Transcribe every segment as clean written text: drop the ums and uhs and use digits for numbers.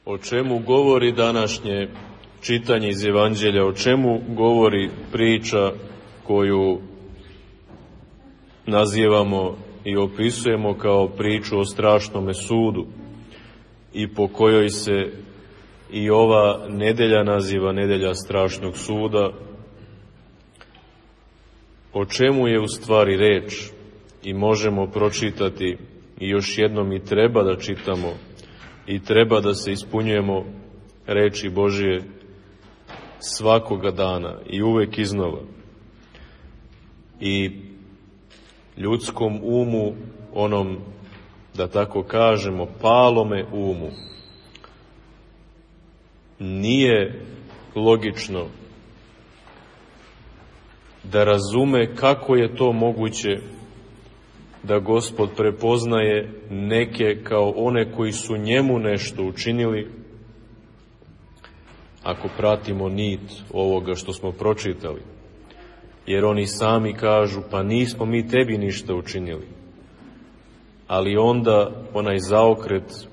O čemu govori današnje čitanje iz Evanđelja, o čemu govori priča koju nazivamo i opisujemo kao priču o strašnome sudu i po kojoj se i ova nedelja naziva nedelja strašnog suda. O čemu je u stvari reč i možemo pročitati i još jednom i treba da čitamo i treba da se ispunjujemo reči Božije svakoga dana i uvek iznova. I ljudskom umu, onom, da tako kažemo, palome umu, nije logično da razume kako je to moguće da Gospod prepoznaje neke kao one koji su njemu nešto učinili, ako pratimo nit ovoga što smo pročitali. Jer oni sami kažu, pa nismo mi tebi ništa učinili. Ali onda onaj zaokret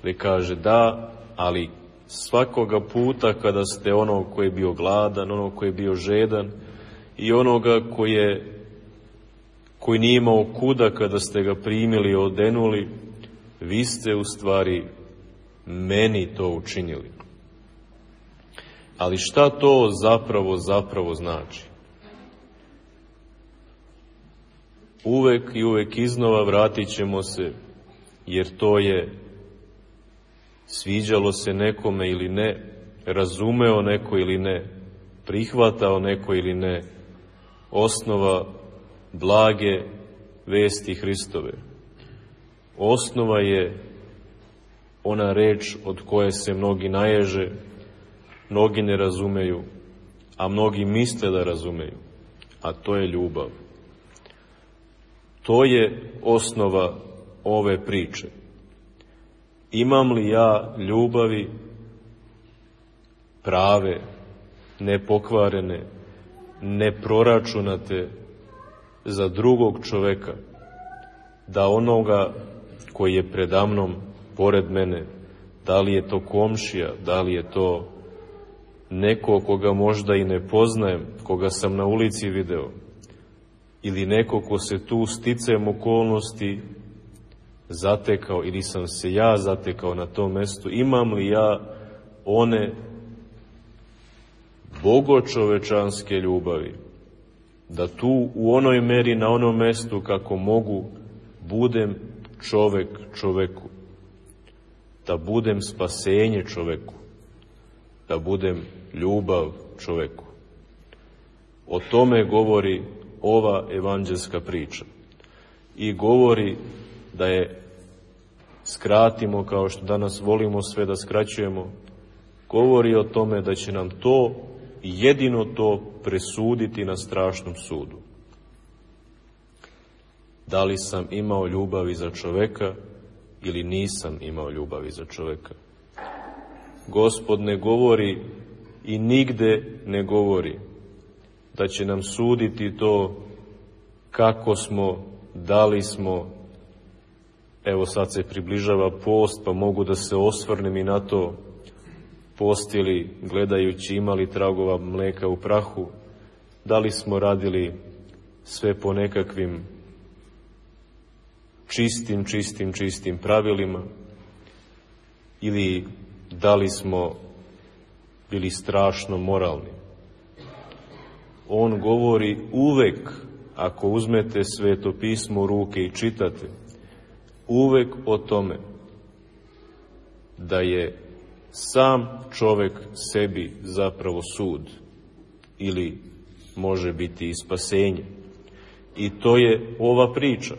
gde kaže da, ali svakoga puta kada ste onog koji je bio gladan, onog koji je bio žedan i onoga koji nije imao kuda kada ste ga primili i odenuli, vi ste u stvari meni to učinili. Ali šta to zapravo znači? Uvek i uvek iznova vratit ćemo se, jer to je, sviđalo se nekome ili ne, razumeo neko ili ne, prihvatao neko ili ne, osnova blage vesti Hristove. Osnova je ona reč od koje se mnogi naježe, mnogi ne razumeju, a mnogi misle da razumeju, a to je ljubav. To je osnova ove priče. Imam li ja ljubavi prave, nepokvarene, neproračunate za drugog čoveka, da onoga koji je predamnom, pored mene, da li je to komšija, da li je to neko koga možda i ne poznajem, koga sam na ulici video, ili neko ko se tu sticajem okolnosti zatekao, ili sam se ja zatekao na tom mestu, imam li ja one bogočovečanske ljubavi, da tu u onoj meri, na onom mestu kako mogu, budem čovek čoveku, da budem spasenje čoveku, da budem ljubav čoveku. O tome govori ova evanđelska priča. I govori da je skratimo, kao što danas volimo sve da skraćujemo, govori o tome da će nam to, jedino to, presuditi na strašnom sudu. Da li sam imao ljubavi za čoveka ili nisam imao ljubavi za čoveka? Gospod ne govori i nigde ne govori da će nam suditi to kako smo, da li smo. Evo sad se približava post, pa mogu da se osvrnem i na to, postili gledajući imali tragova mleka u prahu, da li smo radili sve po nekakvim čistim pravilima, ili da li smo bili strašno moralni. On govori uvek, ako uzmete Sveto pismo u ruke i čitate, uvek o tome da je sam čovek sebi zapravo sud, ili može biti i spasenje. I to je ova priča.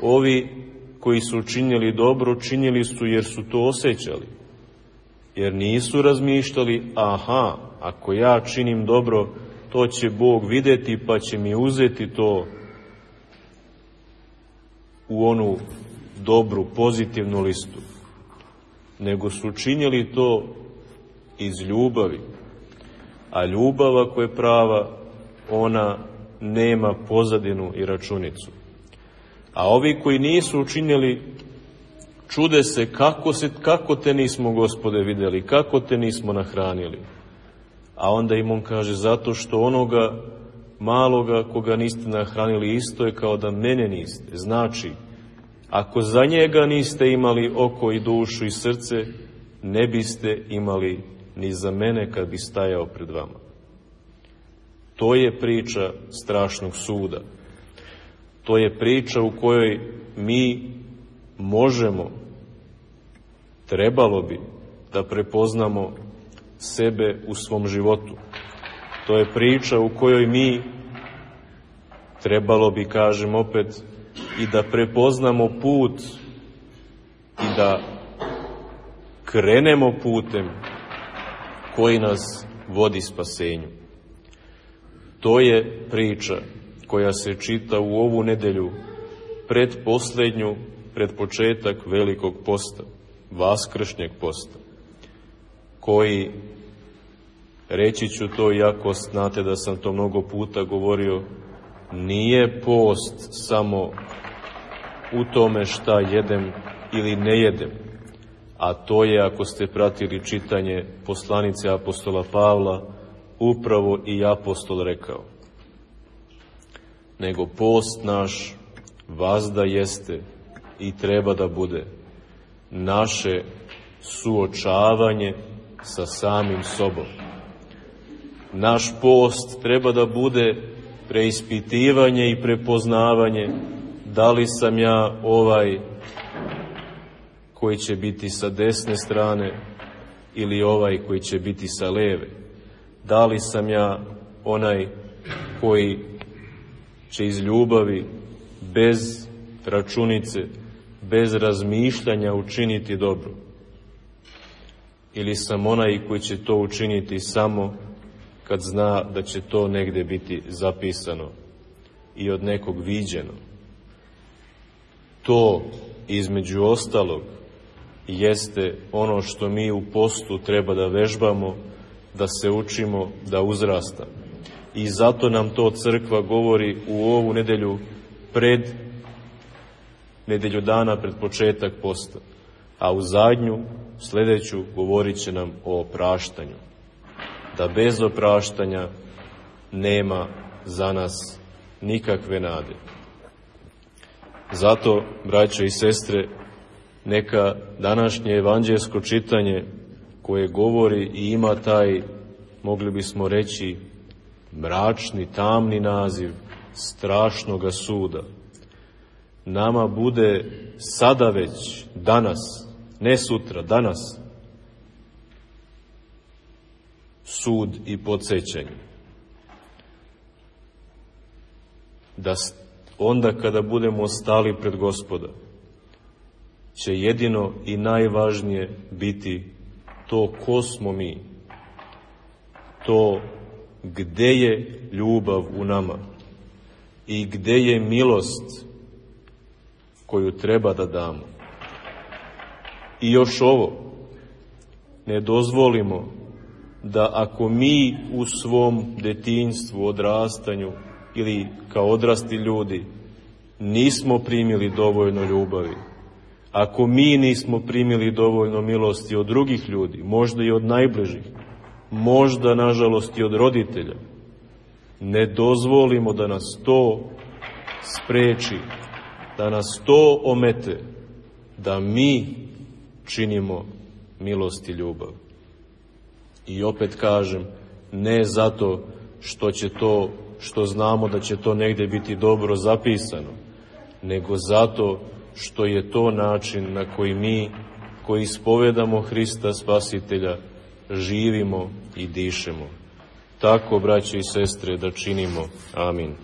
Ovi koji su činili dobro, činili su jer su to osjećali. Jer nisu razmišljali, aha, ako ja činim dobro, to će Bog videti pa će mi uzeti to u onu dobru, pozitivnu listu. Nego su činili to iz ljubavi. A ljubav, ako je prava, ona nema pozadinu i računicu. A ovi koji nisu učinili čude se kako te nismo, Gospode, vidjeli, kako te nismo nahranili. A onda im on kaže, zato što onoga maloga koga niste nahranili isto je kao da mene niste. Znači, ako za njega niste imali oko i dušu i srce, ne biste imali ni za mene kad bi stajao pred vama. To je priča strašnog suda. To je priča u kojoj mi možemo, trebalo bi da prepoznamo sebe u svom životu. To je priča u kojoj mi, trebalo bi, kažem opet, i da prepoznamo put i da krenemo putem koji nas vodi spasenju. To je priča koja se čita u ovu nedelju pred početak velikog posta, vaskršnjeg posta, koji, reći ću to iako znate da sam to mnogo puta govorio, nije post samo u tome šta jedem ili ne jedem, a to je, ako ste pratili čitanje poslanice apostola Pavla, upravo i apostol rekao. Nego post naš vazda jeste i treba da bude naše suočavanje sa samim sobom. Naš post treba da bude preispitivanje i prepoznavanje da li sam ja ovaj koji će biti sa desne strane ili ovaj koji će biti sa leve. Da li sam ja onaj koji će iz ljubavi, bez računice, bez razmišljanja učiniti dobro. Ili sam onaj koji će to učiniti samo kad zna da će to negde biti zapisano i od nekog viđeno. To, između ostalog, jeste ono što mi u postu treba da vežbamo, da se učimo, da uzrastamo. I zato nam to crkva govori u ovu nedelju nedelju dana pred početak posta. A u zadnju, sljedeću, govorit će nam o opraštanju. Da bez opraštanja nema za nas nikakve nade. Zato, braćo i sestre, neka današnje evanđelsko čitanje koje govori i ima taj, mogli bismo reći, mračni, tamni naziv strašnoga suda, nama bude sada već, danas, ne sutra, danas, sud i podsjećanje. Da onda kada budemo stali pred Gospoda, će jedino i najvažnije biti to ko smo mi, to gde je ljubav u nama i gde je milost koju treba da damo. I još ovo, ne dozvolimo da ako mi u svom detinjstvu, odrastanju ili kao odrasli ljudi nismo primili dovoljno ljubavi, ako mi nismo primili dovoljno milosti od drugih ljudi, možda i od najbližih, možda nažalost i od roditelja, ne dozvolimo da nas to spreči, da nas to omete, da mi činimo milost i ljubav. I opet kažem, ne zato što znamo da će to negdje biti dobro zapisano, nego zato što je to način na koji mi, koji ispovedamo Hrista Spasitelja, živimo i dišemo. Tako, braće i sestre, da činimo. Amin.